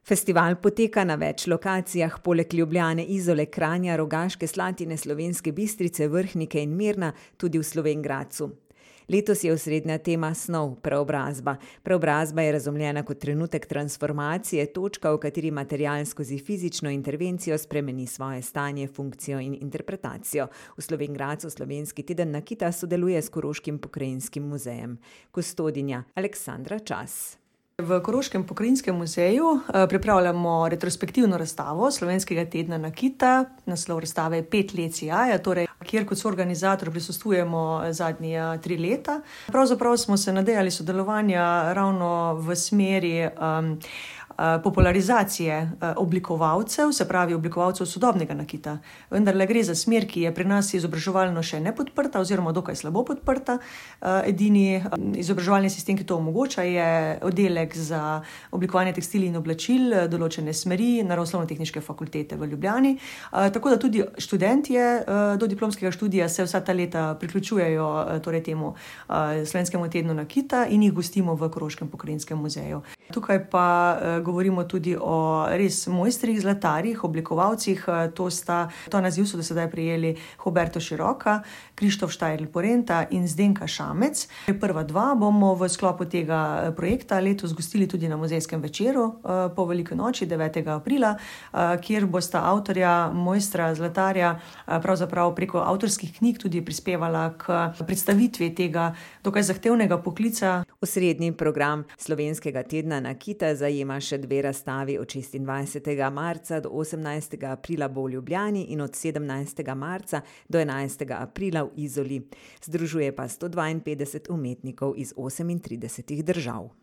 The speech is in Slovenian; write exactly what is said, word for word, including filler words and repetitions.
Festival poteka na več lokacijah, poleg Ljubljane, Izole, Kranja, Rogaške Slatine, Slovenske Bistrice, Vrhnike in Mirna, tudi v Slovenj Gradcu. Letos je osrednja tema snov, preobrazba. Preobrazba je razumljena kot trenutek transformacije, točka, v kateri material skozi fizično intervencijo spremeni svoje stanje, funkcijo in interpretacijo. V Slovenj Gradcu Slovenski teden nakita sodeluje s Koroškim pokrajinskim muzejem. Kustodinja Aleksandra Čas. V Koroškem pokrajinskem muzeju pripravljamo retrospektivno razstavo Slovenskega tedna nakita. Naslov razstave je Pet let sijaja, torej, kjer kot soorganizator prisostvujemo zadnji tri leta. Pravzaprav smo se nadejali sodelovanja ravno v smeri um, popularizacije oblikovalcev, se pravi oblikovalcev sodobnega nakita. Vendarle gre za smer, ki je pri nas izobraževalno še ne podprta oziroma dokaj slabo podprta. Edini izobraževalni sistem, ki to omogoča, je oddelek za oblikovanje tekstilij in oblačil določene smeri Naravoslovno-tehniške fakultete v Ljubljani. Tako da tudi študentje do diplomskega študija se vsa ta leta priključujejo torej temu Slovenskemu tednu nakita in jih gostimo v Koroškem pokrajinskem muzeju. Tukaj pa govorimo tudi o res mojstrih, zlatarjih, oblikovalcih. To sta, to naziv so do sedaj prijeli Huberto Široka, Krištof Štajrl-Porenta in Zdenka Šamec. Prva dva bomo v sklopu tega projekta letos gostili tudi na muzejskem večeru po veliki noči, devetega aprila, kjer bosta avtorja, mojstra, zlatarja pravzaprav preko avtorskih knjig tudi prispevala k predstavitvi tega dokaj zahtevnega poklica. Osrednji program Slovenskega tedna nakita zajema še dve razstavi. Od šestindvajsetega marca do osemnajstega aprila bo v Ljubljani in od sedemnajstega marca do enajstega aprila v Izoli. Združuje pa sto dvainpetdeset umetnikov iz osemintridesetih držav.